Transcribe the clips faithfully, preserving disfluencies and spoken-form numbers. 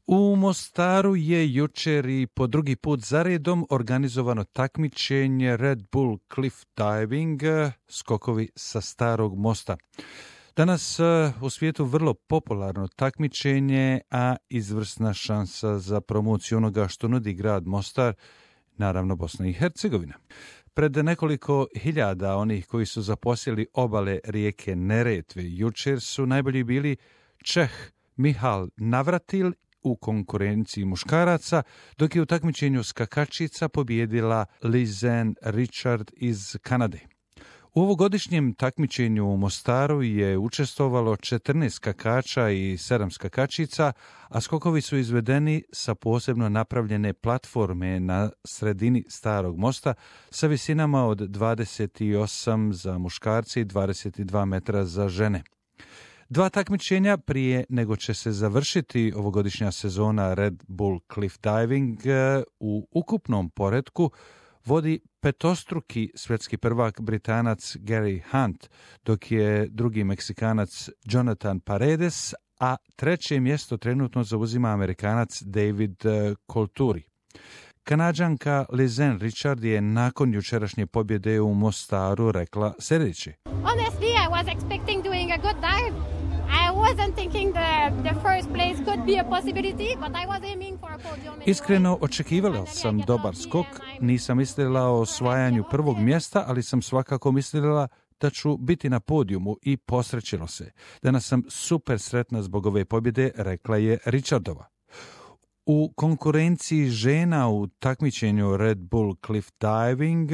U Mostaru je jučer i po drugi put zaredom organizovano takmičenje Red Bull Cliff Diving, skokovi sa starog mosta. Danas u svijetu vrlo popularno takmičenje, a izvrsna šansa za promociju onoga što nudi grad Mostar, naravno Bosna i Hercegovina. Pred nekoliko hiljada onih koji su zaposjeli obale rijeke Neretve jučer su najbolji bili Čeh Mihal Navratil u konkurenciji muškaraca, dok je u takmičenju skakačica pobijedila Lizen Richard iz Kanade. U ovogodišnjem takmičenju u Mostaru je učestvovalo četrnaest skakača i sedam skakačica, a skokovi su izvedeni sa posebno napravljene platforme na sredini starog mosta sa visinama od dvadeset osam za muškarce i dvadeset dva metra za žene. Dva takmičenja prije nego će se završiti ovogodišnja sezona Red Bull Cliff Diving u ukupnom poretku vodi petostruki svjetski prvak Britanac Gary Hunt, dok je drugi Meksikanac Jonathan Paredes, a treće mjesto trenutno zauzima Amerikanac David Colturi. Kanadžanka Lizen Richard je nakon jučerašnje pobjede u Mostaru rekla sljedeće. Honestly, I was expecting doing a good dive. I wasn't thinking the, the first place could be a possibility, but I was aiming for a podium. Iskreno očekivala sam dobar skok, nisam mislila o osvajanju prvog mjesta, ali sam svakako mislila da ću biti na podijumu i posrećilo se. Danas sam super sretna zbog ove pobjede, rekla je Richardova. U konkurenciji žena u takmičenju Red Bull Cliff Diving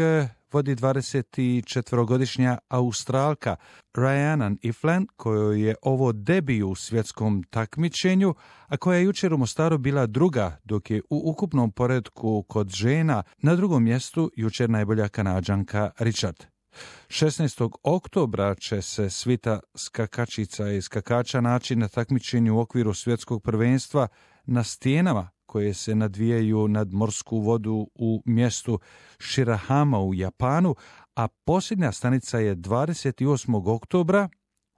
vodi dvadesetčetvorogodišnja Australka Rhiannon Ifland, kojoj je ovo debiju u svjetskom takmičenju, a koja je jučer u Mostaru bila druga, dok je u ukupnom poretku kod žena na drugom mjestu jučer najbolja Kanadžanka Richard. šesnaestog oktobra će se svita skakačica i skakača naći na takmičenju u okviru svjetskog prvenstva na stijenama koje se nadvijaju nad morsku vodu u mjestu Shirahama u Japanu, a posljednja stanica je dvadeset osmog oktobra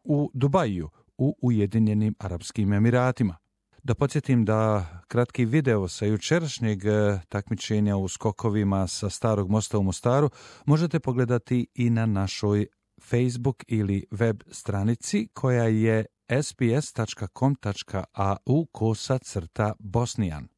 u Dubaju u Ujedinjenim Arapskim Emiratima. Da podsjetim da kratki video sa jučerašnjeg takmičenja u skokovima sa starog mosta u Mostaru možete pogledati i na našoj Facebook ili web stranici koja je sbs.com.au kosa crta Bosnijan.